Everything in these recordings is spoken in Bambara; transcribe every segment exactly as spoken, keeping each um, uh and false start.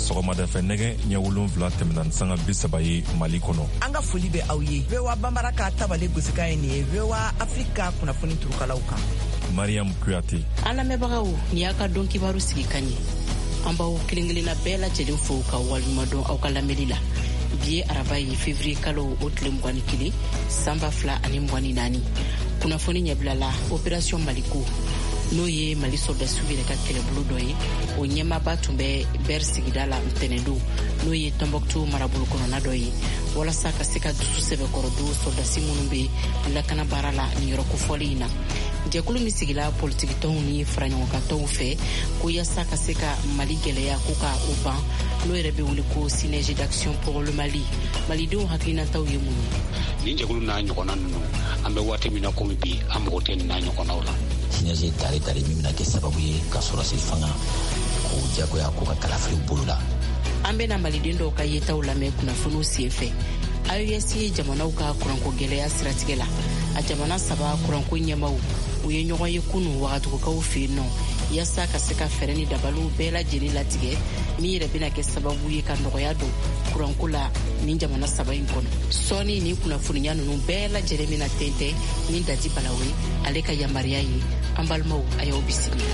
Sɔgɔmada fɛ nɛgɛ ɲɛ wolonwula tɛmɛna ni sanga bi saba ye Mali kɔnɔ. An ka foli bɛ aw ye. V O A Banbara ka tabale gosikan ye nin ye V O A Afrika kunnafoni turukalaw kan. Mariam Kuyate. An lamɛnbagaw, nin y'a ka don kibaru sigi kan ye. An b'aw kelen kelenna bɛɛ lajɛlen fo ka waleɲuman dɔn aw ka lamɛnni la. Bi ye araba ye, février kalo o tile mugan ni kelen, san ba fila ani mugan ni naani. Kunnafoni ɲɛbila la, opération Maliko, n'o ye Mali sɔrɔdasiw yɛrɛ ka kɛlɛbolo dɔ ye, o ɲɛmaaba tun bɛ Bɛr sigida la ntɛnɛndon, n'o ye Tɔnbɔkutu marabolo kɔnɔna dɔ ye, walasa ka se ka dusu sɛbɛkɔrɔ don sɔrɔdasi minnu bɛ lakana baara la nin yɔrɔ kofɔlen in na. Jɛkulu min sigila politikitɔnw ni faraɲɔgɔnkantɔnw fɛ ko yaasa ka se ka Mali gɛlɛya ko ka o ban, n'o yɛrɛ bɛ wele ko Synergie d'action pour le Mali, malidenw hakilinataw ye mun ye? Nin jɛkulu n'a ɲɔgɔnna ninnu, an bɛ waati min na komi bi, an mago tɛ nin n'a ɲɔgɔnnaw la. Synergie tare tare min bɛna kɛ sababu ye ka sɔrɔsi fanga k'o jagoya k'u ka kalafiliw bolo la. An bɛna maliden dɔw ka yetaw lamɛn kunnafoniw sen fɛ. A E S ye jamanaw ka kuranko gɛlɛya siratigɛ la, a jamana saba kuranko ɲɛmaw, u ye ɲɔgɔn ye kunu Wagadugukaw fɛ yen nɔ, yaasa ka se ka fɛɛrɛ ni dabaliw bɛɛ lajɛlen latigɛ min yɛrɛ bɛna kɛ sababu ye ka nɔgɔya don kuranko la nin jamana saba in kɔnɔ. Sɔɔni nin kunnafoniya ninnu bɛɛ lajɛlen bɛna tɛntɛn ni Dadi Balawe ale ka yamaruya ye. An balimaw, a y'aw bisimila.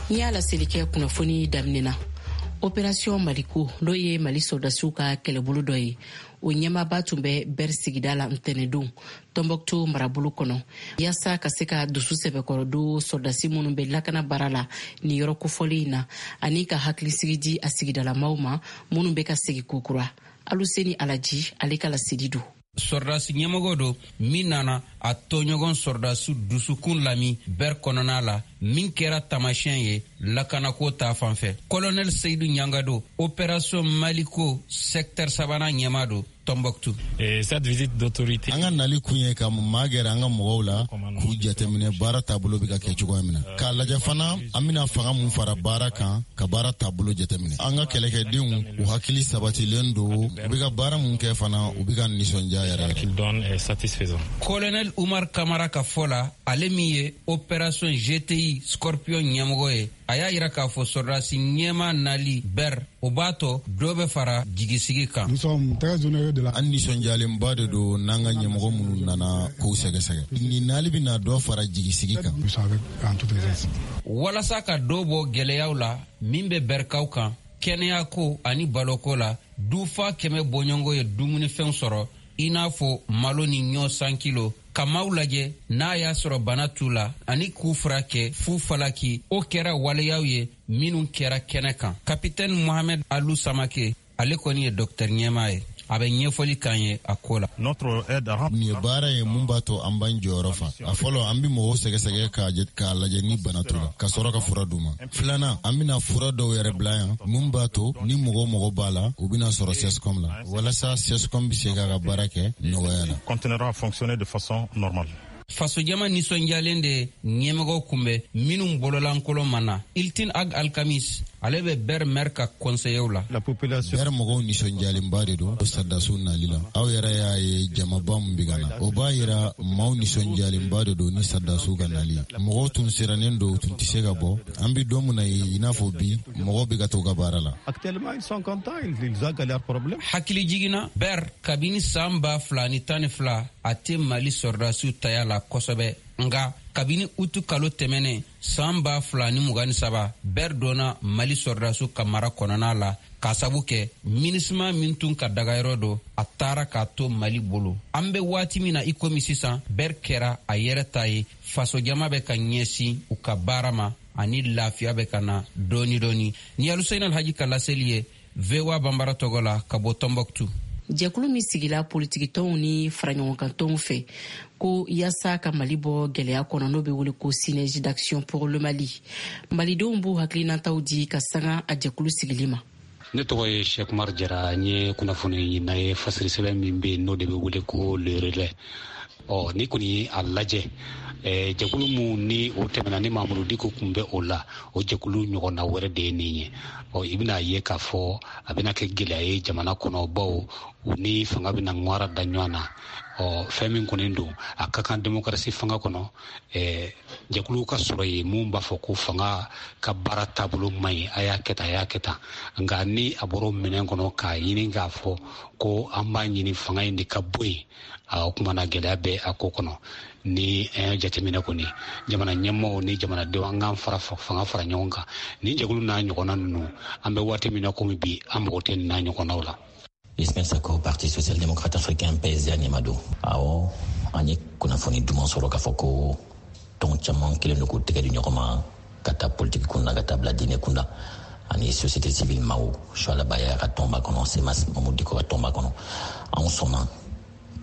N'i y'a laseli kɛ kunnafoni daminɛ na, opération Maliko, n'o ye Mali sɔrɔdasiw ka kɛlɛbolo dɔ ye, o ɲɛmaaba tun bɛ Bɛr sigida la ntɛnɛndon Tɔnbɔkutu marabolo kɔnɔ, yaasa ka se ka dusu sɛbɛkɔrɔ don sɔrɔdasi minnu bɛ lakana baara la nin yɔrɔ kofɔlen in na, ani ka hakilisigi di a sigidalamaw ma minnu bɛ ka segin kokura. Aluseni Alaji ale ka laseli don. Sɔrɔdasi ɲɛmɔgɔ don min nana a tɔɲɔgɔn sɔrɔdasi dusukun lami Bɛr kɔnɔna la, min kɛra taamasiyɛn ye lakanako ta fan fɛ. Colonel Seyidu Ɲangado, opération Maliko secteur sabanan ɲɛma don Tombouctou. An ka nali kun ye ka maa gɛrɛ an ka mɔgɔw la k'u jateminɛ baara taabolo bɛ ka kɛ cogoya min na, k'a lajɛ fana an bɛna fanga mun fara baara kan, ka baara taabolo jateminɛ. An ka kɛlɛkɛdenw, u hakili sabatilen don, u bɛ ka baara mun kɛ fana, u bɛ ka nisɔndiya yɛrɛ yɛrɛ. Colonel Umar Kamara ka fɔ la, ale min ye opération G T I Scorpion ɲɛmɔgɔ ye, a y'a yira k'a fɔ sɔrɔdasi ɲɛma nali Bɛr, o b'a tɔ dɔ bɛ fara jigisigi kan. An nisɔndiyalenba de don n'an ka ɲɛmɔgɔ minnu nana k'u sɛgɛsɛgɛ. Nin nali bɛna dɔ fara jigisigi kan. Walasa ka dɔ bɔ gɛlɛyaw la min bɛ Bɛrikaw kan kɛnɛyako ani baloko la, dufa kɛmɛ bɔɲɔgɔnko ye dumunifɛnw sɔrɔ, i n'a fɔ malo ni ɲɔ san kilo, ka maaw lajɛ n'a y'a sɔrɔ bana t'u la ani k'u furakɛ fu falaki. O kɛra waleyaw ye minnu kɛra kɛnɛ kan. Kapitɛni Mohamɛd Alu Samake, ale kɔni ye dɔktɛri ɲɛmaa ye, a bɛ ɲɛfɔli k'an ye a ko la. Nin ye baara ye mun b'a to an b'an jɔyɔrɔ fa. A fɔlɔ, an bɛ mɔgɔw sɛgɛsɛgɛ k'a lajɛ ni bana t'u la, ka sɔrɔ ka fura d'u ma. Filanan, an bɛna fura dɔw yɛrɛ bila yan mun b'a to ni mɔgɔ mɔgɔ b'a la, u bɛna sɔrɔ C S C O M la, walasa C S C O M bɛ se k'a ka baara kɛ nɔgɔya la. Continuera à fonctionner de façon normale. Fasojama nisɔndiyalen de ɲɛmɔgɔw kunbɛn minnu bololankolon ma na. Iltin Ag Alkamis, ale bɛ Bɛr maire ka conseillerw la. Bɛr mɔgɔw nisɔndiyalenba de don sɔrɔdasiw nali la. Aw yɛrɛ y'a ye jamaba min bɛ ka na, o b'a yira maaw nisɔndiyalenba de don ni sɔrɔdasiw ka nali. Mɔgɔw tun sirannen don, u tun tɛ se ka bɔ. An bɛ don min na i n'a fɔ bi, mɔgɔw bɛ ka to ka baara la. Hakili jiginna, Bɛr kabini san ba fila ni tan ni fila a tɛ Mali sɔrɔdasiw taya la kosɛbɛ, nga kabini utu kalo tɛmɛnen san ba fila ni mugan ni saba, Bɛr donna Mali sɔrɔdasiw ka mara kɔnɔna la, k'a sabu kɛ MINUSMA min tun ka dagayɔrɔ don, a taara k'a to Mali bolo. An be waati min na i komi sisan, Bɛr kɛra a yɛrɛ ta ye. Fasojama bɛ ka ɲɛsin u ka baara ma ani lafiya bɛ ka na dɔɔni dɔɔni. Ni Alusein Alhaji ka laseli ye V O A Banbara tɔgɔ la ka bɔ Tɔnbɔkutu. Jɛkulu min sigila politikitɔnw ni faraɲɔgɔnkantɔnw fɛ ko yaasa ka Mali bɔ gwɛlɛya kɔnɔ, n'o be wele ko Synergie d'action pour le Mali, malidenw b'u hakilinataw di ka sanga a jɛkulu sigili ma. Ne tɔgɔ ye Sekumar Jara. N ye kunnafoni ɲinina ye fasiri sɛbɛn min bɛ yen, n'o de bɛ wele ko Le Relais. Ɔ, ni kɔni ye a lajɛ, Jɛkulu mun ni o tɛmɛna ni Mamudu Diko kun bɛ o la, o jɛkulu ɲɔgɔnna wɛrɛ de ye nin ye. Ɔ i bɛna ye k'a fɔ a bɛna kɛ gɛlɛya ye jamana kɔnɔ, bawo u ni fanga bɛna ŋwara da ɲɔgɔn na. Ɔ fɛn min kɔni don, a ka kan demokarasi fanga kɔnɔ, ɛɛ jɛkuluw ka sɔrɔ yen mun b'a fɔ ko fanga ka baara taabolo man ɲi, a y'a kɛ tan, a y'a kɛ tan. Nka ni a bɔra o minɛn kɔnɔ k'a ɲini k'a fɔ ko an b'a ɲini fanga in de ka bɔ yen, o kuma na gɛlɛya bɛ a ko kɔnɔ. Ni an y'a jateminɛ kɔni, jamana ɲɛmɔgɔw ni jamanadenw, an k'an fara fanga fara ɲɔgɔn kan. Ni jɛkulu n'a ɲɔgɔnna ninnu, an bɛ waati min na komi bi, an mago tɛ nin n'a ɲɔgɔnnaw la. Ismaël Sako, Parti social-démocrate africain P S D A ɲɛmaa don. Awɔ, an ye kunnafoni duman sɔrɔ k'a fɔ ko tɔn caman kɛlen don k'u tɛgɛ di ɲɔgɔn ma ka taa politiki kunda, ka taa bila diinɛ kunda ani société civile maaw. Suala Baya ka tɔnba kɔnɔ, Semas Mamudu Diko ka tɔnba kɔnɔ, anw sɔnna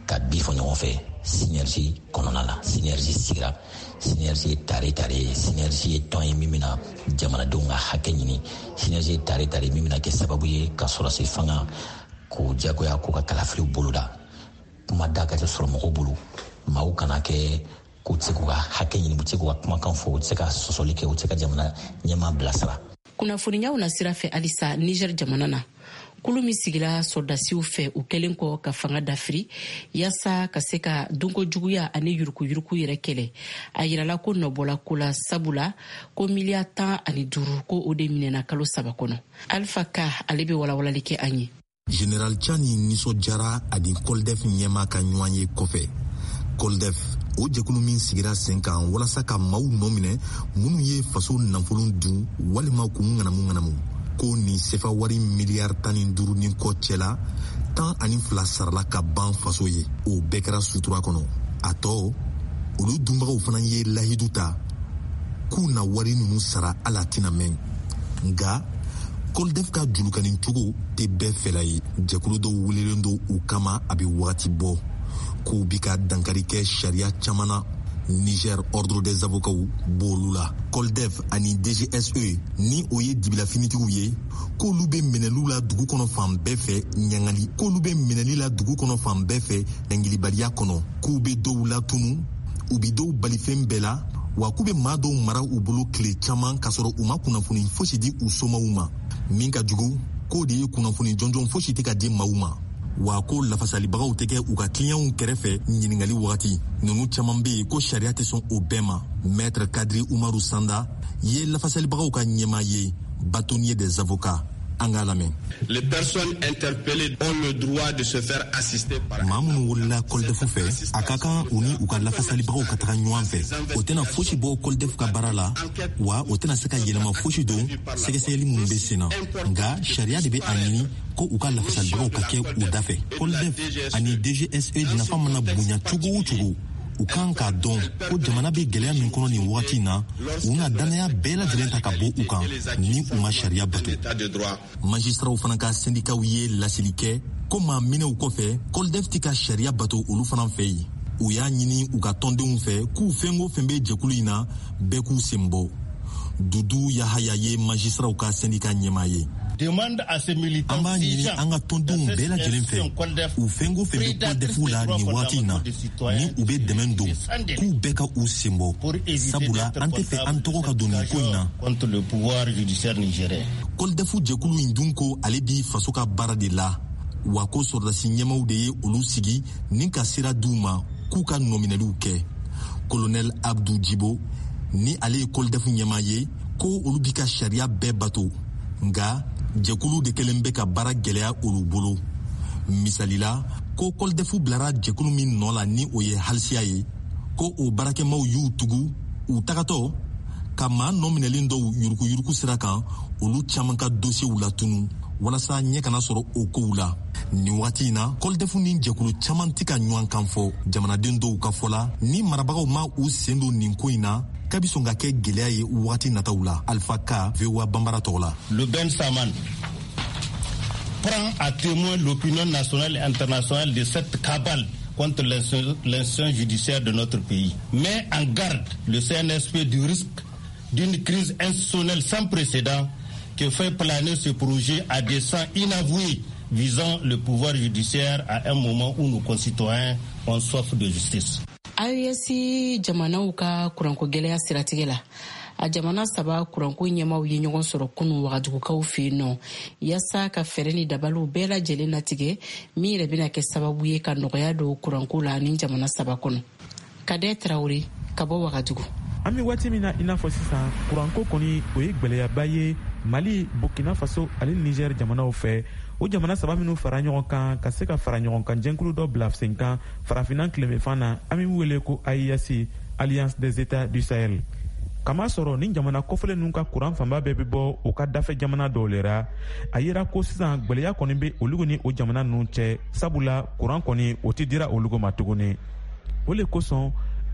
ka bi fɔ ɲɔgɔn fɛ synergie kɔnɔna la. Synergie sigira, synergie ye tare tare ye, synergie ye tɔn ye min bɛna jamanadenw ka hakɛ ɲini, synergie ye tare tare min bɛna kɛ sababu ye ka sɔrɔsi fanga k'o diyagoya k'u ka kalafiliw boloda. Kuma da ka sɔrɔ mɔgɔw bolo, maaw kana kɛ k'u tɛ se k'u ka hakɛ ɲini, u tɛ se k'u ka kumakan fɔ, u tɛ se ka sɔsɔli kɛ, u tɛ se ka jamana ɲɛmaa bilasira. Kunnafoniyaw na sira fɛ halisa, Niger jamana na, kulu min sigira sɔrɔdasiw fɛ u kɛlen kɔ ka fanga dafiri yaasa ka se ka dunko juguya ani yurukuyuruku yɛrɛ kɛlɛ, a yirala ko nɔbɔla ko la, sabula ko miliya tan ani duuru ko o de minɛna kalo saba kɔnɔ. Alpha Ka ale bɛ walawalali kɛ an ye. Général Tchani nisɔndiyara ani Koldef ɲɛmaa ka ɲɔgɔn ye kɔfɛ. Koldef, o jɛkulu min sigira sen kan walasa ka maaw nɔ minɛ minnu ye faso nafolo dun walima k'u ŋanamu ŋanamu, ko nin sefa wari miliyari tan ni duuru ni kɔ cɛla tan ani fila sarala ka ban faso ye. O bɛɛ kɛra sutura kɔnɔ. A tɔ, olu dunbagaw fana ye lahidu ta k'u na wari ninnu sara ala tɛna mɛn. Nka Koldef ka julukani cogo tɛ bɛɛ fɛla ye. Jɛkulu dɔw welelen don u kama a bɛ wagati bɔ k'u bi ka dankari kɛ sariya caman na. Niger Ordre des avocats b'olu la. Koldef ani D G S E ni o ye dibilafinitigiw ye, k'olu bɛ minɛliw la dugu kɔnɔ fan bɛɛ fɛ ɲangali, k'olu bɛ minɛli la dugu kɔnɔ fan bɛɛ fɛ ɲangilibaliya kɔnɔ, k'u bɛ dɔw latunu, u bɛ dɔw bali fɛn bɛɛ la, wa k'u bɛ maa dɔw mara u bolo tile caman k'a sɔrɔ u ma kunnafoni fosi di u somaw ma. Min ka jugu, k'o de ye kunnafoni jɔnjɔn fosi tɛ ka di maaw ma, wa ko lafasalibagaw tɛ kɛ u ka kiliyanw kɛrɛfɛ ɲininkali wagati. Ninnu caman bɛ yen ko sariya tɛ sɔn o bɛɛ ma. Maître Kadri Umaru Sanda ye lafasalibagaw ka ɲɛmaa ye, bâtonnier des avocats. An k'a lamɛn. Les personnes interpellées ont le droit de se faire assister par maa minnu wolola Koldef fɛ, a ka kan u ni u ka lafasalibagaw ka taga ɲɔgɔn fɛ. O tɛna fosi bɔ Koldef ka baara la, wa o tɛna se ka yɛlɛma fosi don sɛgɛsɛgɛli minnu bɛ sen na. Nka sariya de bɛ a ɲini ko u ka lafasalibagaw ka kɛ u da fɛ. Koldef ani D G S E nafa mana bonya cogo o cogo, u kan k'a dɔn ko jamana bɛ gɛlɛya min kɔnɔ nin wagati in na, u na danaya bɛɛ lajɛlen ta ka bɔ u kan ni u ma sariya bato. Magistraw fana ka syndicatw ye laseli kɛ ko maa minɛw kɔfɛ, Koldef tɛ ka sariya bato olu fana fɛ yen. U y'a ɲini u ka tɔndenw fɛ k'u fɛn o fɛn bɛ jɛkulu in na, bɛɛ k'u sen bɔ. Dudu Yahaya ye magistraw ka syndicat ɲɛmaa ye. An b'a ɲini an ka tɔndenw bɛɛ lajɛlen fɛ, u fɛn o fɛn bɛ Koldef la nin waati in na, ni u bɛ dɛmɛ don, k'u bɛɛ ka u sen bɔ, sabula an tɛ fɛ an tɔgɔ ka don nin ko in na. Koldef jɛkulu in dun ko ale bi faso ka baara de la, wa ko sɔrɔdasi ɲɛmaaw de ye olu sigi ni ka sira d'u ma k'u ka nɔminɛliw kɛ. Colonel Abdou Djibo ni ale ye Koldef ɲɛmaa ye, ko olu bi ka sariya bɛɛ bato, nka jɛkulu de kɛlen bɛ ka baara gɛlɛya olu bolo. Misali la, ko Koldef bilara jɛkulu min nɔ la ni o ye halisiya ye, ko o baarakɛmaw y'u tugu u tagatɔ ka maa nɔminɛlen dɔw yurukuyuruku sira kan, olu caman ka dosiyew latunu walasa ɲɛ kana sɔrɔ o kow la. Nin wagati in na, Koldef ni jɛkulu caman tɛ ka ɲɔgɔn kan fɔ. Jamanaden dɔw ka fɔ la, ni marabagaw ma u sen don nin ko in na, k'a bɛ sɔn ka kɛ gɛlɛya ye wagati nataw la. Alpha Ka, V O A Bambara tɔgɔ la. Le Ben Saman prend à témoin l'opinion nationale et internationale de cette cabale contre l'institution judiciaire de notre pays, met en garde le C N S P du risque d'une crise institutionnelle sans précédent que fait planer ce projet à dessein inavoué visant le pouvoir judiciaire à un moment où nos concitoyens ont soif de justice. A E S jamanaw ka kuranko gwɛlɛya siratigɛ la, a jamana saba kuranko ɲɛmaw ye ɲɔgɔn sɔrɔ kunu Wagadugukaw fɛ yen nɔ, yaasa ka fɛɛrɛ ni dabaliw bɛɛ lajɛlen latigɛ min yɛrɛ bɛna kɛ sababu ye ka nɔgɔya don kuranko la ni jamana saba kɔnɔ. Kadɛ Tarawele ka bɔ Wagadugu. An bɛ waati min na i n'a fɔ sisan, kuranko kɔni, o ye gwɛlɛyaba ye Mali, Burkina Faso ani Niger jamanaw fɛ. O jamana saba minw fara ɲɔgɔn kan ka se ka fara ɲɔgɔn kan jɛnkulu dɔ bila sen kan Farafinna tilebenfan na, an bɛ wele ko A E S, Alliance des États du Sahel. Kama sɔrɔ ni jamana kɔfɛlen ninnu ka kuran fanba bɛɛ bɛ bɔ u ka dafɛ jamana dɔw le ra. A yera ko sisan gwɛlɛya kɔni bɛ olugu ni o jamana ninnu cɛ, sabula kuran kɔni, o tɛ dira olugu ma tuguni. O le kosɔn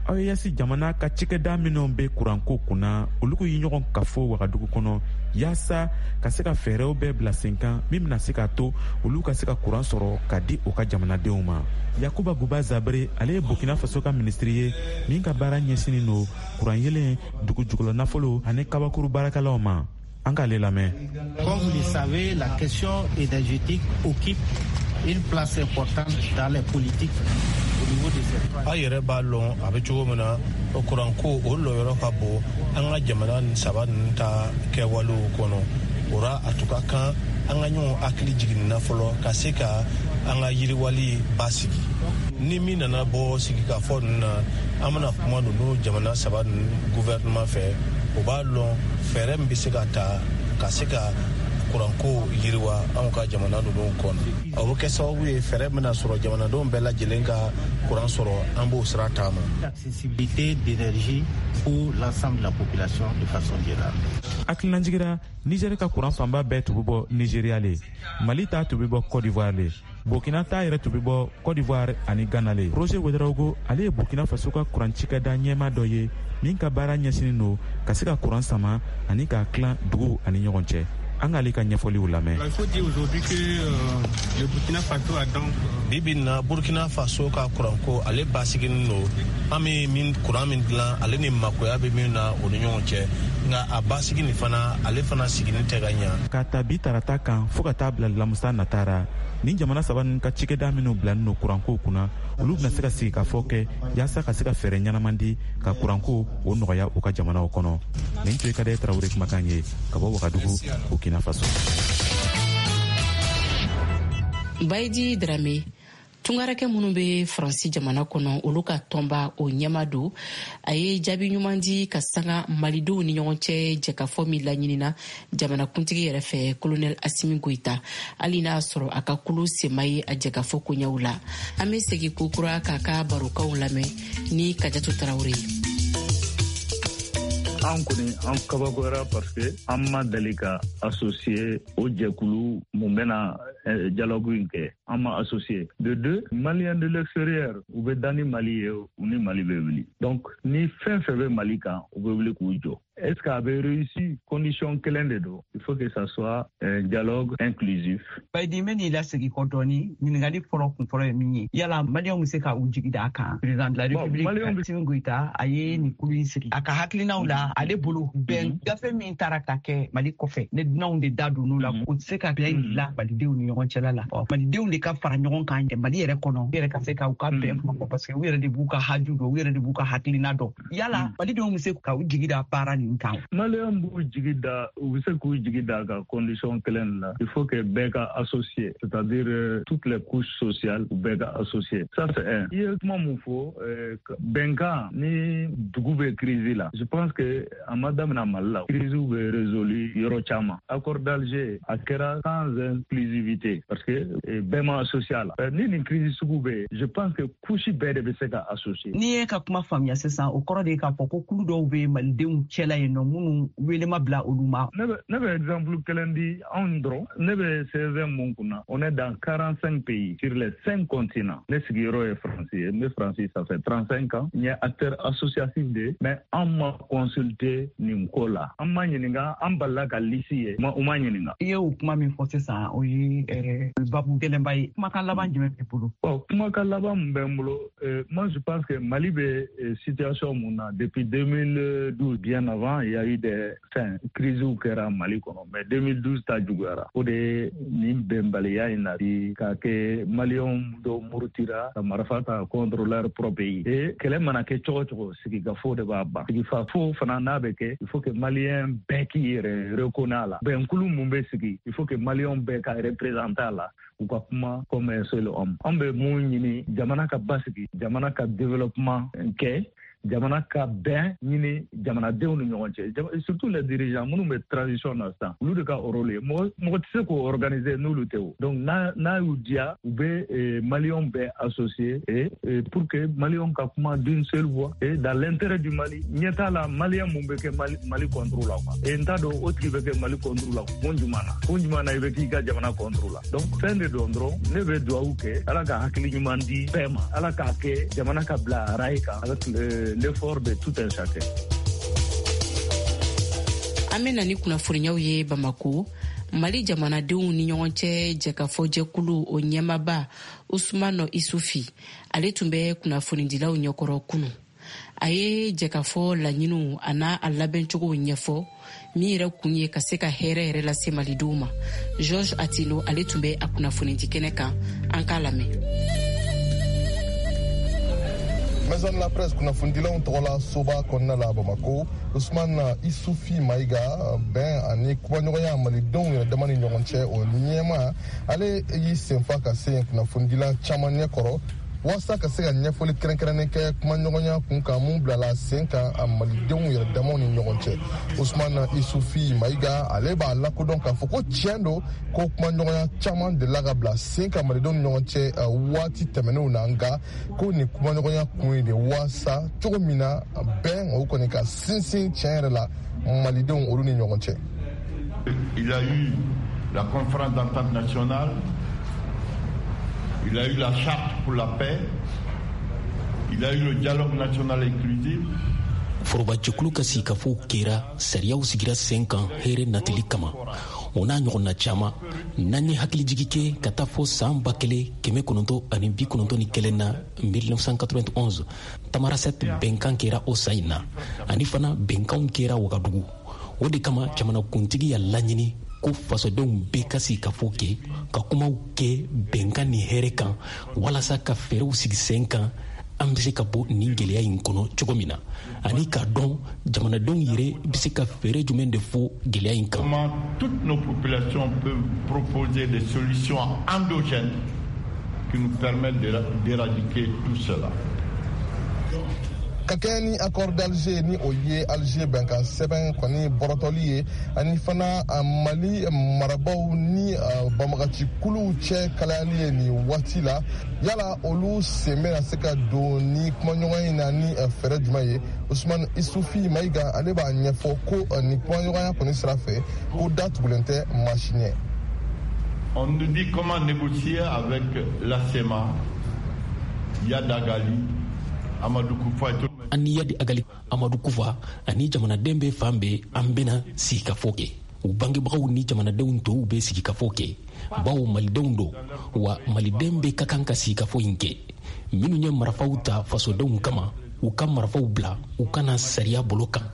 A E S jamana ka cikɛda minw bɛ kuranko kunna, olugu ye ɲɔgɔn kafo Wagadugu kɔnɔ, yaasa ka se ka fɛɛrɛw bɛɛ bila sen kan min bɛna se k'a to olu ka se ka kuran sɔrɔ ka di u ka jamanadenw ma. Yakuba Guba Zabere, ale ye Burkina Faso ka minisiri ye min ka baara ɲɛsinin don kuran yelen, dugu jukɔrɔ nafolo ani kabakuru baarakɛlaw ma. An k'ale lamɛn. Comme vous le savez, la question énergétique occupe une place importante dans les politiques. A yɛrɛ b'a lɔn a bɛ cogo min na, o kuranko o lɔyɔrɔ ka bon an ka jamana nin saba ninnu ta kɛwalew kɔnɔ. O ra, a tun ka kan an ka ɲɔgɔn hakili jiginna fɔlɔ ka se ka an ka yiriwali basigi. Ni min nana bɔ sigikafɔ ninnu na, an bɛna kuma ninnu jamana saba ninnu gouvernement fɛ, o b'a lɔn fɛɛrɛ min bɛ se ka ta ka se ka kuranko yiriwa anw ka jamana ninnu kɔnɔ. O bɛ kɛ sababu ye fɛɛrɛ bɛna sɔrɔ jamanadenw bɛɛ lajɛlen ka kuran sɔrɔ. An b'o sira taama. Accessibilité d'énergie pour l'ensemble de la population de façon générale. Hakililajigira, Nigɛri ka kuran fanba bɛɛ tun bɛ bɔ Nigeriya le, Mali ta tun bɛ bɔ Côte d'Ivoire le, Burkina ta yɛrɛ tun bɛ bɔ Côte d'Ivoire ani Ghana le. Roger Ouedraogo, ale ye Burkina Faso ka kuran cikɛda ɲɛma dɔ ye min ka baara ɲɛsinin don ka se ka kuran sama ani k'a tilan duguw ani ɲɔgɔn cɛ. An k'ale ka ɲɛfɔliw lamɛn. Il faut dire aujourd'hui que euh, le Burkina Faso a donc Bi bi in na, Burkina Faso ka kuranko, ale basiginin don. An bɛ min kuran min dilan, ale ni makoya bɛ min na, o ni ɲɔgɔn cɛ, nka a basigi nin fana, ale fana siginin tɛ ka ɲa. K'a ta bi tarata kan fɔɔ ka taa bila lamusa natara, nin jamana saba ninnu ka cikɛda minw bilalen don kuranko kunna, olu bɛna se ka sigi ka fɔ kɛ yaasa ka se ka fɛɛrɛ ɲɛnaman di ka kuranko o nɔgɔya u ka jamanaw kɔnɔ. Nin tun ye Kadɛ Tarawele kumakan ye ka bɔ Wagadugu, Burkina Faso. Bayidi Drame, tungarakɛ minnu bɛ Faransi jamana kɔnɔ, olu ka tɔnba o ɲɛma don, a ye jaabi ɲuman di ka sanga malidenw ni ɲɔgɔn cɛ jɛkafɔ min laɲinina jamanakuntigi yɛrɛ fɛ, Kolonɛl Asimi Goyita, hali n'a sɔrɔ a ka kulu sema ye a jɛkafɔ koɲɛw la. An bɛ segin kokura k'a ka barokanw lamɛn ni Kajatu Tarawele ye. An kɔni, an kabakoyara parce que an ma deli ka associé o jɛkulu mun bɛna dialogue in kɛ, an ma associé. De deux, Malien de l'extérieur, u bɛ da ni Mali ye, u ni Mali bɛ wuli. Donc ni fɛn fɛn bɛ Mali kan, u bɛ wuli k'u jɔ. Est ce qu'a bɛ réussi? Condition kelen de don: il faut que ça soit un dialogue inclusif. Bayidi, n bɛ n'i lasegin kɔ dɔɔni. Ɲininkali fɔlɔ kun fɔlɔ ye min ye, yala Maliyɛnw bɛ se ka u jigi da a kan? Président de la République Assimi Goïta, a ye nin kulu in sigi, a ka hakilinaw la, ale bolo bɛn gafe min taara ka kɛ Mali kɔfɛ, ne dunanw de da donn'o la, o tɛ se ka bɛn dilan malidenw ni ɲɔgɔn cɛla la. Malidenw de ka fara ɲɔgɔn kan Mali yɛrɛ kɔnɔ, u yɛrɛ ka se ka u ka bɛn kuma fɔ, parce que u yɛrɛ de b'u ka haju dɔn, u yɛrɛ de b'u ka hakilina dɔn. Yala malidenw bɛ se ka u jigi da baara nin kan? Maliyɛn b'u jigi da, u bɛ se k'u jigi da ka condition kelen la: il faut que bɛɛ ka associé, c'est-à-dire euh, toutes les couches sociales, u bɛɛ ka associé. Ça, c'est un. I ye kuma mun fɔ, bɛnkan ni dugu bɛ crise la, je pense que a ma daminɛ Mali la. Crise bɛ résolu yɔrɔ caman. Accord d'Alger, a kɛra sans inclusivité parce que bɛɛ ma associé a la. Ni nin crise sugu bɛ yen, je pense que couche bɛɛ de bɛ se ka associé. N'i ye ka kuma faamuya sisan, o kɔrɔ de ye k'a fɔ ko kulu dɔw bɛ malidenw cɛla yen nɔ minnu wele ma bila olu ma. ne bɛ ne bɛ exemple kelen di anw dɔrɔn. Ne bɛ C V mun kunna, on est dans quarante-cinq pays sur les cinq continents. Ne sigiyɔrɔ ye Faransi ye, n bɛ Faransi, ça fait trente-cinq ans. N ye acteur associatif de ye, mais an ma consulter nin ko la, an ma ɲininka, an balila ka liste ye, u ma ɲininka. I ye o kuma min fɔ sisan, o ye babu gɛlɛnba. ye, kumakan laban jumɛn b'i bolo? Bon, kumakan laban min bɛ n bolo, moi je pense que Mali bɛ situation mun na depuis deux mille douze, bien avant il y a eu des fɛn crises kɛra Mali kɔnɔ, mais deux mille douze ta juguyara. O de ye nin bɛnbaliya in nati k'a kɛ maliyɛnw dɔw murutira ka marifa ta contre leur propre pays. Et kɛlɛ mana kɛ cogo cogo, sigikafo de b'a ban. Sigikafo fana n'a bɛ kɛ, il faut que maliyɛn bɛɛ k'i yɛrɛ reconnaît a la. Bɛnkulu mun bɛ sigi, il faut que maliyɛnw bɛɛ ka représenter a la, u ka kuma comme un seul homme. An bɛ mun ɲini? Jamana ka basigi, jamana ka développement kɛ, jamana ka bɛn ɲini jamanadenw ni ɲɔgɔn cɛ, surtout les dirigeants minnu bɛ transition na sisan, olu de ka rôle ye. Mɔgɔ mɔgɔ tɛ se k'o organiser n'olu tɛ o. Donc n'a n'a y'u diya, u bɛ maliyɛnw bɛɛ associer et pour que maliyɛnw ka kuma d'une seule voix et dans l'intérêt du Mali. Ɲɛ t'a la maliyɛn mun bɛ kɛ Mali Mali contre la quoi. Et n t'a dɔn o tigi bɛ kɛ Mali contre la kun jumɛn na, kun jumɛn na i bɛ k'i ka jamana contre la. Donc fɛn de don dɔrɔn, ne bɛ dugawu kɛ Ala ka hakili ɲuman di bɛɛ ma, Ala k'a kɛ jamana ka bila rail kan avec l'effort de tout un chacun. An bɛ na ni kunnafoniyaw ye Bamako. Mali jamanadenw ni ɲɔgɔn cɛ jɛkafɔ jɛkulu o ɲɛmaba Usumano Isufi, ale tun bɛ kunnafonidilaw ɲɛkɔrɔ kunu. A ye jɛkafɔ laɲiniw a n'a a labɛncogow ɲɛfɔ, min yɛrɛ kun ye ka se ka hɛrɛ yɛrɛ lase malidenw ma. George Atino, ale tun bɛ a kunnafonidi kɛnɛ kan, an k'a lamɛn. Maison de la presse kunnafonidilaw tɔgɔla soba kɔnɔna la Bamako, Usman Isufi Mayiga, bɛn ani kumaɲɔgɔnya malidenw yɛrɛ dama ni ɲɔgɔn cɛ o ɲɛma, ale y'i senfa ka se kunnafonidila caman ɲɛkɔrɔ walasa ka se ka ɲɛfɔli kɛrɛnkɛrɛnnen kɛ kumaɲɔgɔnya kun kan mun bilala sen kan a malidenw yɛrɛ damaw ni ɲɔgɔn cɛ. Usman Isufi Mayiga, ale b'a lakodɔn k'a fɔ ko tiɲɛ don ko kumaɲɔgɔnya caman delila ka bila sen kan malidenw ni ɲɔgɔn cɛ waati tɛmɛnenw na, nka ko nin kumaɲɔgɔnya kun ye de walasa cogo min na bɛn o kɔni ka sinsin tiɲɛ yɛrɛ la malidenw olu ni ɲɔgɔn cɛ. Il y a eu la conférence d'entente nationale, il a eu la charte pour la paix, il a eu le dialogue national inclusif. Forobajɛkulu ka sigikafɔw kɛra, sariyaw sigira sen kan hɛrɛ natili kama, o n'a ɲɔgɔnna caman. N'an ye hakilijigi kɛ ka taa fɔ san ba kelen kɛmɛ kɔnɔntɔ ani bi kɔnɔntɔn ni kelen na, mille neuf cent quatre-vingt-onze, Tamarasɛti bɛnkan kɛra o san in na, ani fana bɛnkanw kɛra Wagadugu. O de kama jamanakuntigi y'a laɲini ko fasodenw bɛɛ ka sigikafɔ kɛ, ka kumaw kɛ bɛnkan ni hɛrɛ kan, walasa ka fɛɛrɛw sigi sen kan an bɛ se ka bɔ nin gɛlɛya in kɔnɔ cogo min na, ani k'a dɔn jamanadenw yɛrɛ bɛ se ka fɛɛrɛ jumɛn de fɔ gɛlɛya in kan. Comment toutes nos populations peuvent proposer des solutions endogènes qui nous permettent d'éradiquer tout cela. Ka kɛɲɛ ni accord d'Alger, ni o ye Alger bɛnkan sɛbɛn kɔni bɔrɔtɔli ye, ani fana Mali marabaw ni banbagaci kuluw cɛ kalayali ye nin waati la, yala olu sen bɛna se ka don ni kumaɲɔgɔnya in na ni fɛɛrɛ jumɛn ye? Usman Isufi Mayiga, ale b'a ɲɛfɔ ko nin kumaɲɔgɔnya kɔni sira fɛ, ko da tugulen tɛ maa si ɲɛ. On nous dit comment négocier avec la C M A, Iyad Ag Ghali, Amadou Koufa et tout. An ni Iyad Ag Ghali, Amadou Koufa ani jamanaden bɛɛ fan bɛɛ, an bɛna sigikafɔ kɛ. U bangebagaw ni jamanadenw tɔw bɛ sigikafɔ kɛ, bawo malidenw don, wa maliden bɛɛ ka kan ka sigikafɔ in kɛ. Minnu ye marifaw ta fasodenw kama, u ka marifaw bila, u kana sariya bolo kan,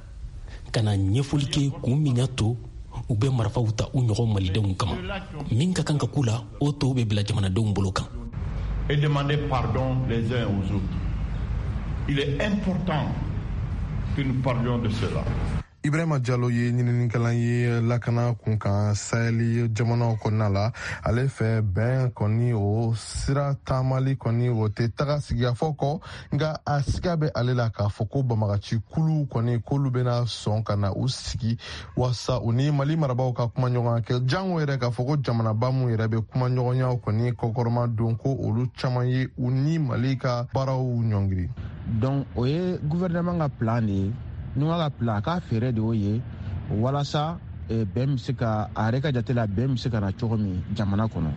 ka na ɲɛfɔli kɛ kun min y'a to u bɛ marifaw ta u ɲɔgɔn malidenw kama. Min ka kan ka k'u la, o tɔw bɛ bila jamanadenw bolo kan. Et demander pardon les uns aux autres. Il est important que nous parlions de cela. Ibrahima Diallo ye ɲininikɛla ye lakana kun kan Sahel jamanaw kɔnɔna la. Ale fɛ bɛn kɔni o sira taamali kɔni o tɛ taga sigikafɔ kɔ, nka a siga bɛ ale la k'a fɔ ko banbagaci kuluw kɔni k'olu bɛna sɔn ka na u sigi walasa u ni Mali marabaaw ka kumaɲɔgɔnya kɛ, jango yɛrɛ k'a fɔ ko jamanaba mun yɛrɛ bɛ kumaɲɔgɔnyaw kɔni kɔkɔrɔma don, ko olu caman ye u ni Mali ka baaraw ɲɔngiri. Donc o ye gouvernement ka plan de ye. N'u ka plan, a ka fɛɛrɛ de y'o ye walasa bɛn bɛ se ka, a yɛrɛ ka jate la, bɛn bɛ se ka na cogo min jamana kɔnɔ.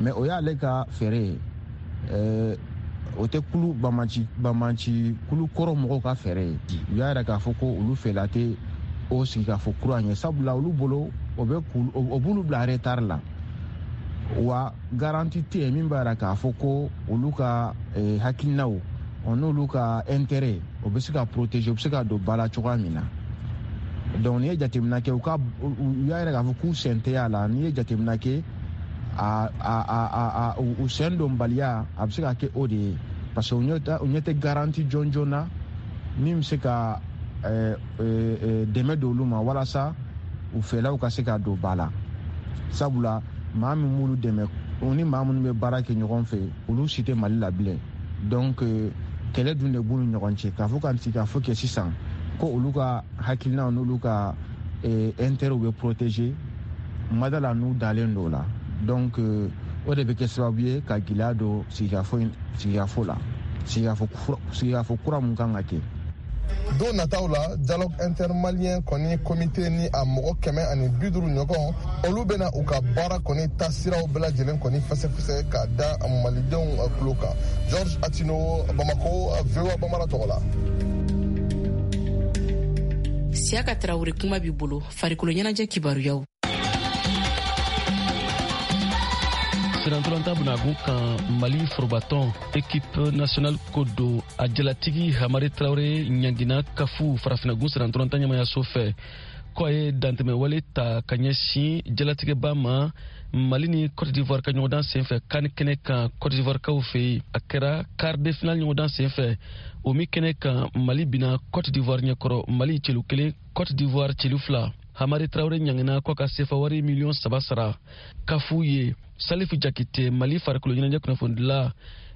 Mais o y'ale ka fɛɛrɛ ye, o tɛ kulu banbanci banbanci kulu kɔrɔ mɔgɔw ka fɛɛrɛ ye. U y'a yira k'a fɔ ko olu fɛla tɛ o sigi k'a fɔ kura ɲɛ, sabula olu bolo o bɛ o b'olu bila retard la. Wa garantie tɛ yen min b'a yira k'a fɔ ko olu ka eh, hakilinaw o n'olu ka intérêt o bɛ se ka protéger, o bɛ se ka don ba la cogoya min na. Donc n'i ye jateminɛ kɛ, u ka u y'a yira k'a fɔ k'u sen tɛ a la. N'i ye jateminɛ kɛ, a a a a u sen donbaliya a bɛ se ka kɛ o de ye, parce que u ɲɛ tɛ garantie jɔnjɔn na min bɛ se ka dɛmɛ don olu ma walasa u fɛlaw ka se ka don ba la. Sabula maa min b'olu dɛmɛ, u ni maa minnu bɛ baara kɛ ɲɔgɔn fɛ, olu si tɛ Mali la bilen. Donc kɛlɛ dun de b'u ni ɲɔgɔn cɛ, k'a fɔ ka sigi k'a fɔ kɛ sisan ko olu ka hakilinaw n'olu ka intérêt bɛ protéger, madala n'u dalen don o la. Donc o de bɛ kɛ sababu ye ka gɛlɛya don sigikafo sigikafo la, sigikafo sigikafo kura mun kan ka kɛ. Don nataw la, dialogue intermalien kɔni komite ni a mɔgɔ kɛmɛ ani bi duuru ɲɔgɔn, olu bɛna u ka baara kɔni taasiraw bɛɛ lajɛlen kɔni fɛsɛfɛsɛ k'a da malidenw tulo kan. George Atino, Bamako, V O A Bambara tɔgɔ la. Siyaka Tarawele, kuma b'i bolo, farikolo ɲɛnajɛ kibaruyaw. Sirantolanta bunagun kan, Mali forobatɔn équipe nationale ko don, a jalatigi Hamari Traoré ɲangina kafu farafinagun sirantolanta ɲɛmayaso fɛ ko a ye dantɛmɛwale ta ka ɲɛsin jalatigɛba ma Mali ni Côte d'Ivoire ka ɲɔgɔndan senfɛ kan kɛnɛ kan Côte d'Ivoire kaw fɛ yen. A kɛra quart de finale ɲɔgɔndan senfɛ, o min kɛnɛ kan Mali bina Côte d'Ivoire ɲɛkɔrɔ, Mali celu kelen, Côte d'Ivoire celu fila. Hamari Traoré ɲangina ko ka sefa wari miliyɔn saba sara kafu ye. Salifu Jakite, Mali farikolo ɲɛnajɛ kunnafonidila,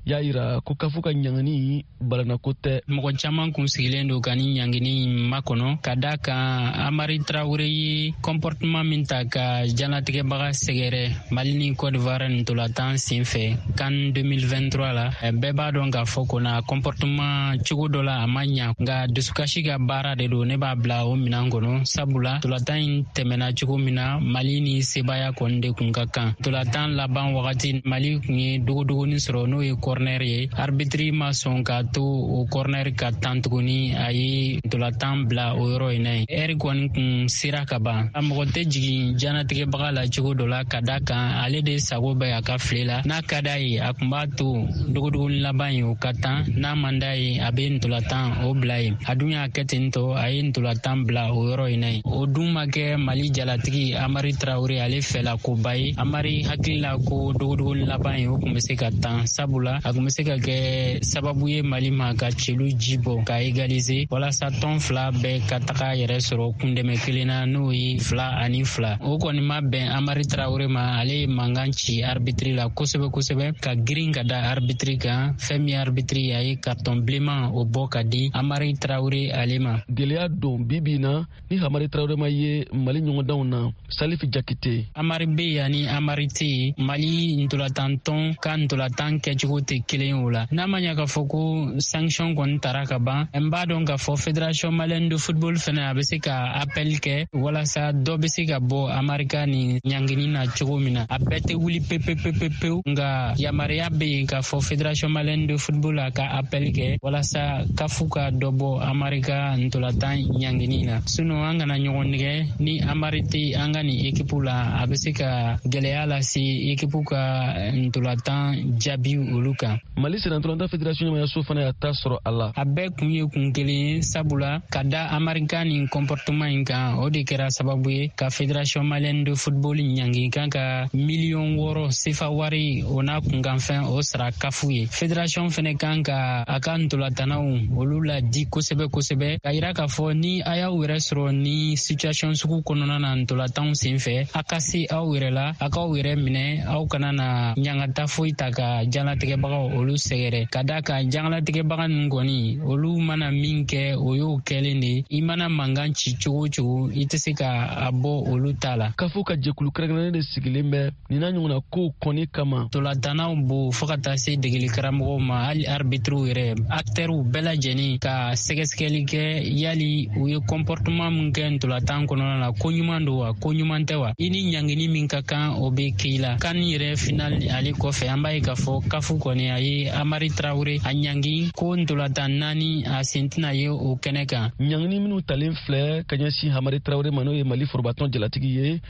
y'a yira ko kafu ka ɲangini balanako tɛ. Mɔgɔ caman kun sigilen don ka ni ɲangini makɔnɔ, ka da kan Amari Traoré ye comportement min ta ka jalatigɛbaga sɛgɛrɛ Mali ni Côte d'Ivoire ntolatan sen fɛ CAN deux mille vingt-trois la. Bɛɛ b'a dɔn k'a fɔ ko na comportement cogo dɔ la a ma ɲa, nka dusukasi ka baara de don, ne b'a bila o minɛn kɔnɔ, sabula ntolatan in tɛmɛna cogo min na, Mali ni sebaaya kɔni de kun ka kan. Ntolatan laban wagati, Mali kun ye dogodogoni sɔrɔ, n'o ye corner ye. Arbitre ma sɔn k'a to o corner ka tan tuguni, a ye ntolatan bila o yɔrɔ in na yen. Ɛri kɔni kun sera ka ban. A mɔgɔ tɛ jigin janatigɛbaga la cogo dɔ la, ka da kan ale de sago bɛ a ka file la. N'a ka d'a ye, a kun b'a to dogodogoni laban ye o ka tan, n'a man d'a ye, a bɛ ntolatan o bila yen. A dun y'a kɛ ten tɔ, a ye ntolatan bila o yɔrɔ in na yen. O dun ma kɛ Mali jalatigi Amari Traoré ale fɛla koba ye. Amari hakili la ko dogodogoni laban ye o kun bɛ se ka tan, sabula a kun bɛ se ka kɛ sababu ye Mali ma ka celu ji bɔ ka égaliser, walasa tɔn fila bɛɛ ka taga yɛrɛ sɔrɔ kundɛmɛ kelen na, n'o ye fila ani fila. O kɔni ma bɛn Amari Traoré ma, ale ye mankan ci arbitre la kosɛbɛ kosɛbɛ, ka girin ka da arbitre kan. Fɛn min arbitre ye, a ye carton bilenman o bɔ ka di Amari Traoré ale ma. Gɛlɛya don bi bi na ni Hamari Traoré ma ye Mali ɲɔgɔndanw na. Salifu Jakite. Amari bɛ yen ani Amari tɛ yen, Mali ntolatan ka ntolatan kɛcogo tɛ kelen o la. N'a ma ɲa k'a fɔ ko sanction kɔni tara ka ban, n b'a dɔn k'a fɔ fédération malienne de football fɛnɛ a bɛ se ka appel kɛ walasa dɔ bɛ se ka bɔ Amari ka nin ɲangini na cogo min na. A bɛɛ tɛ wuli pepepepepewu, nka yamaruya bɛ yen k'a fɔ fédération malienne de football a ka appel kɛ walasa kafu ka dɔ bɔ Amari ka ntolatan ɲangini na. Sinon an kana ɲɔgɔn nɛgɛ, ni Amari tɛ an ka nin équipe la, a bɛ se ka gɛlɛya lase équipe ka ntolatan jaabi olu kan. Mali sennantolatan fédération ɲɛmayaso fana y'a ta sɔrɔ a la. A bɛɛ kun ye kun kelen ye, sabula ka da Amari ka nin comportement in kan, o de kɛra sababu ye ka fédération malienne de football ɲangi kan ka miliyɔn wɔɔrɔ sefa wari o n'a kunkanfɛn o sara kafu ye. Fédération fɛnɛ kan ka a ka ntolatannaw olu ladi kosɛbɛ kosɛbɛ, ka yira k'a fɔ ni a y'aw yɛrɛ sɔrɔ ni situation sugu kɔnɔna na ntolatanw sen fɛ, a ka se aw yɛrɛ la, a k'aw yɛrɛ minɛ, aw kana na ɲangata foyi ta ka jalatigɛbagaw olu sɛgɛrɛ. Ka da kan jalatigɛbaga ninnu kɔni, olu mana min kɛ o y'o kɛlen de. I mana mankan ci cogo o cogo, i tɛ se ka a bɔ olu ta la. Kafo ka jɛkulu kɛrɛnkɛrɛnnen de sigilen bɛ nin n'a ɲɔgɔnna kow kɔni kama. Ntolatannaw bo fo ka taa se degeli karamɔgɔw ma, hali arbitriw yɛrɛ, actɛriw bɛɛ lajɛlen ka sɛgɛsɛgɛli kɛ yali u ye comportement min kɛ ntolatan kɔnɔna na, ko ɲuman don wa, ko ɲuman tɛ wa. I ni ɲangini min ka kan, o bɛ k'i la. CAN yɛrɛ final ale kɔfɛ, an b'a ye k'a fɔ kafu kɔni kɔni a ye Amari Traoré a ɲangi ko ntolatan naani a sen tɛna ye o kɛnɛ kan. Ɲangini minnu talen filɛ ka ɲɛsin Hamari Traoré ma, n'o ye Mali forobatɔn jalatigi ye,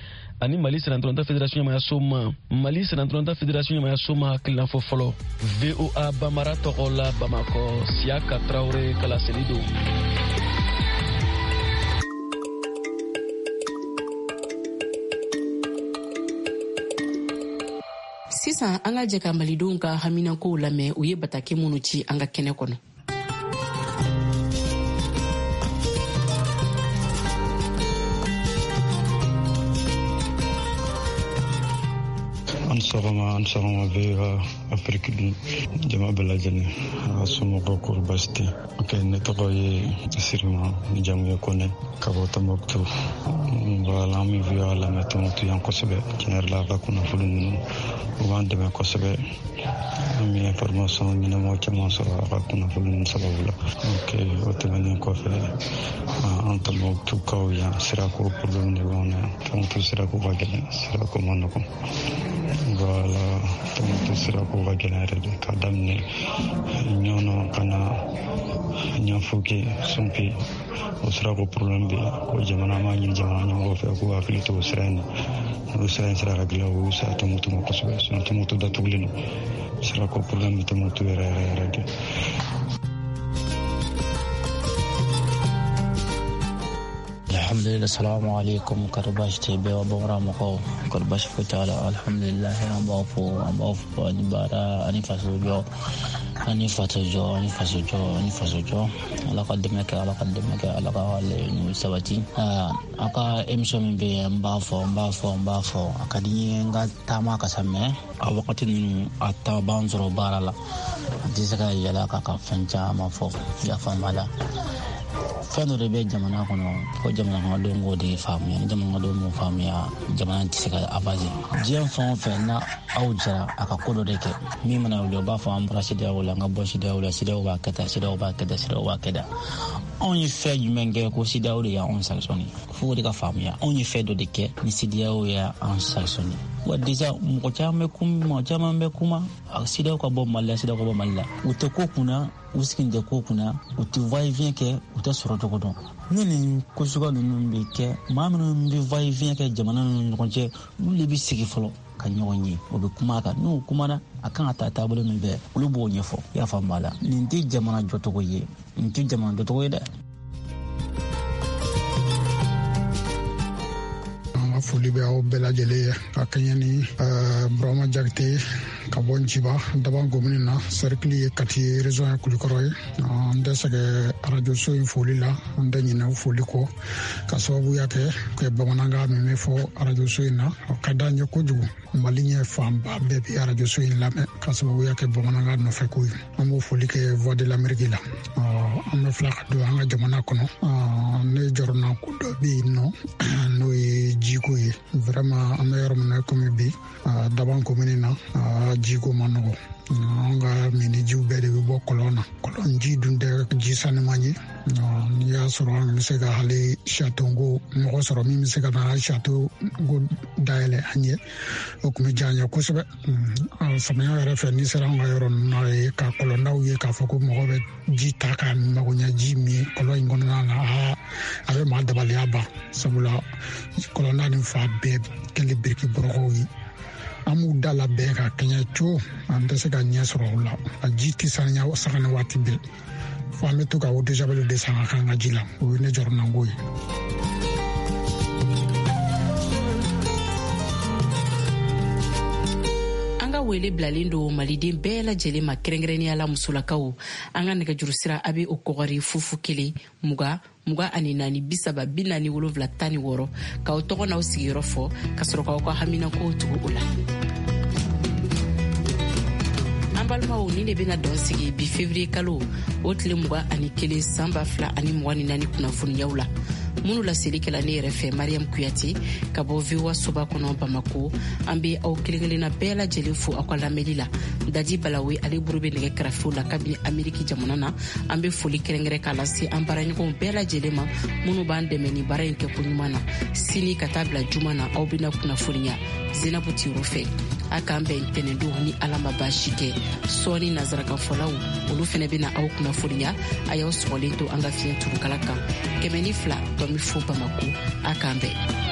ani Mali sennantolatan fédération ɲɛmayaso ma. Mali sennantolatan fédération ɲɛmayaso ma hakilina fɔ fɔlɔ. V O A Bamara tɔgɔ la Bamakɔ, Siyaka Traoré ka laseli don. Sisan an ka jɛ ka malidenw ka haminankow lamɛn, u ye bataki minnu ci an ka kɛnɛ kɔnɔ. An sɔgɔma, an sɔgɔma V O A Afiriki dun jama bɛɛ lajɛlen, a ka somɔgɔw kɔri baasi tɛ. Ok, ne tɔgɔ ye Sirima, ni jamu ye Kɔnɛ, ka bɔ Tɔnbɔkutu. Voilà, an bɛ V O A lamɛn Tɔnbɔkutu yan kosɛbɛ. Tiɲɛ yɛrɛ la, a ka kunnafoni ninnu u b'an dɛmɛ kosɛbɛ. An bɛ information ɲɛnamaw caman sɔrɔ a ka kunnafoni ninnu sababu la. Ok, o tɛmɛnen kɔfɛ, an Tɔnbɔkutukaw yan sirako problème de b'anw na yan. Tɔnbɔkutu sirako ka gɛlɛn, sirako man nɔgɔn. Voilà, Tɔnbɔkutu sirako ka gɛlɛn yɛrɛ de, k'a daminɛ Ɲɔnɔ ka na Ɲanfuke, Sunpi, o sirako problème bɛ yen. Ko jamana, an b'a ɲini jamana ɲɛmɔgɔw fɛ k'u hakili to o sira in na. N'o sira in sera ka dilan, o sira Tɔnbɔkutu ma kosɛbɛ. Sinon Tɔnbɔkutu datugulen don. Sirako problème bɛ Tɔnbɔkutu yɛrɛ yɛrɛ yɛrɛ de. Alhamdulillah, salamu alaikum, kari baasi tɛ bɛɛ bamanan mɔgɔw, kari baasi foyi t'a la. Alhamdulillah, an b'aw fo, an b'aw fo ani baara ani faso jɔ, ani faso jɔ, ani faso jɔ, ani faso jɔ. Ala ka dɛmɛ kɛ, Ala ka dɛmɛ kɛ, Ala ka laɲiniw sabati. A ka émission min bɛ yen, n b'a fɔ, n b'a fɔ, n b'a fɔ. A ka di n ye n ka taama ka sa, mais a wagati ninnu a ta b'an sɔrɔ baara la. An tɛ se ka yɛlɛ ka ka fɛn caman fɔ, i y'a faamu a la. Fɛn dɔ de bɛ jamana kɔnɔ ko jamana kɔnɔdenw k'o de faamuya. Ni jamana kɔnɔdenw m'o faamuya, jamana tɛ se ka avancer. Diɲɛ fɛn o fɛn n'a aw jɛra a ka ko dɔ de kɛ, min mana wuli o b'a fɔ an bɔra CEDEAO la, an ka bɔ CEDEAO la, CEDEAO b'a kɛ tan, CEDEAO b'a kɛ tan, CEDEAO b'a kɛ tan. Anw ye fɛn jumɛn kɛ ko CEDEAO de y'anw sanctionné? Fo o de ka faamuya. Anw ye fɛn dɔ de kɛ ni CEDEAO y'an sanctionné. Wa déjà mɔgɔ caman bɛ kuma, mɔgɔ caman bɛ kuma CEDEAO ka bɔ Mali la, CEDEAO ka bɔ Mali la. U tɛ ko kunna, u sigin tɛ ko kunna, u tɛ va-et-vient kɛ, u tɛ sɔrɔ cogo dɔn. Ni nin ko suguya ninnu bɛ kɛ, maa minnu bɛ va-et-vient kɛ jamana ninnu ɲɔgɔn cɛ, olu de bɛ sigi fɔlɔ ka ɲɔgɔn ye, o bɛ kuma a kan. N'u kumana, a kan ka taa taabolo min fɛ, olu b'o ɲɛfɔ. I y'a faamu a la. Nin tɛ jamana jɔcogo ye, nin tɛ jamana jɔcogo ye dɛ. Foli bɛ aw bɛɛ lajɛlen ye ka kɛɲɛ ni Burama Jakite ka bɔ Nciba Daban komini na, cercle ye Kati ye, région ye Kulikɔrɔ ye. An tɛ sɛgɛ arajoso in foli la, an tɛ ɲinɛ foli kɔ ka sababuya kɛ kɛ bamanankan min bɛ fɔ arajoso in na, o ka d'an ye kojugu. Mali ɲɛ fanba bɛɛ bɛ arajoso in lamɛn ka sababuya kɛ bamanankan nɔfɛ ko ye. An b'o foli kɛ Voix de l'Amérique la. An bɛ fila ka don an ka jamana kɔnɔ. Ne jɔrɔna ko dɔ bɛ yen nɔ, n'o ye jiko ye. Vraiment, an bɛ yɔrɔ min na komi bi, Daban komini na, jiko ma nɔgɔ. An ka minijiw bɛɛ de bɛ bɔ kɔlɔn na. Kɔlɔn ji dun tɛ ji sanuman ye. N'i y'a sɔrɔ an bɛ se ka hali satonko mɔgɔ sɔrɔ min bɛ se ka na satonko dayɛlɛ an ye, o tun bɛ diya an ye kosɛbɛ. Samiya yɛrɛ fɛ, n'i sera an ka yɔrɔ ninnu na ye ka kɔlɔndaw ye k'a fɔ ko mɔgɔ bɛ ji ta ka magoɲɛ ji min kɔlɔn in kɔnɔna na, a bɛ maa dabaliya ban. Sabula kɔlɔnda nin fa bɛɛ kɛlen biriki bɔrɔkɔw ye. An b'u da labɛn ka kɛɲɛ co, an tɛ se ka ɲɛ sɔrɔ o la. A ji tɛ sanuya saga ni waati bɛɛ, fo an bɛ to ka eau de javel de san ka k'an ka ji la. O ye ne jɔrɔnanko ye. An ka wele bilalen don maliden bɛɛ lajɛlen ma, kɛrɛnkɛrɛnnenya la musolakaw. An ka nɛgɛjuru sira a bɛ o kɔgɔri fufu kelen mugan mugan ani naani bi saba bi naani wolonwula tan ni wɔɔrɔ, k'aw tɔgɔ n'aw sigiyɔrɔ fɔ ka sɔrɔ k'aw ka haminankow tugu o la. An balimaw, nin de bɛna dɔn sigi bi février kalo o tile mugan ani kelen san ba fila ani mugan ni naani kunnafoniyaw la, minnu laseli kɛla ne yɛrɛ fɛ Mariam Kuyate ka bɔ V O A soba kɔnɔ Bamako. An bɛ aw kelen kelenna bɛɛ lajɛlen fo aw ka lamɛnli la. Dadi Balawe ale buru bɛ nɛgɛ karafew la kabini Ameriki jamana na. An bɛ foli kɛrɛnkɛrɛn k'a lase an baaraɲɔgɔnw bɛɛ lajɛlen ma minnu b'an dɛmɛ ni baara in kɛko ɲuman na. Sini ka taa bila juma na, aw bɛna kunnafoniya Zenabu Tiro fɛ. A k'an bɛn ntɛnɛndon ni Ala ma baasi kɛ. Sɔɔni nazarakanfɔlaw olu fɛnɛ bɛna aw kunnafoniya. A y'aw sɔgɔlen to an ka fiɲɛ turukala kan kɛmɛ ni fila tɔmi fo Bamako. A k'an bɛn.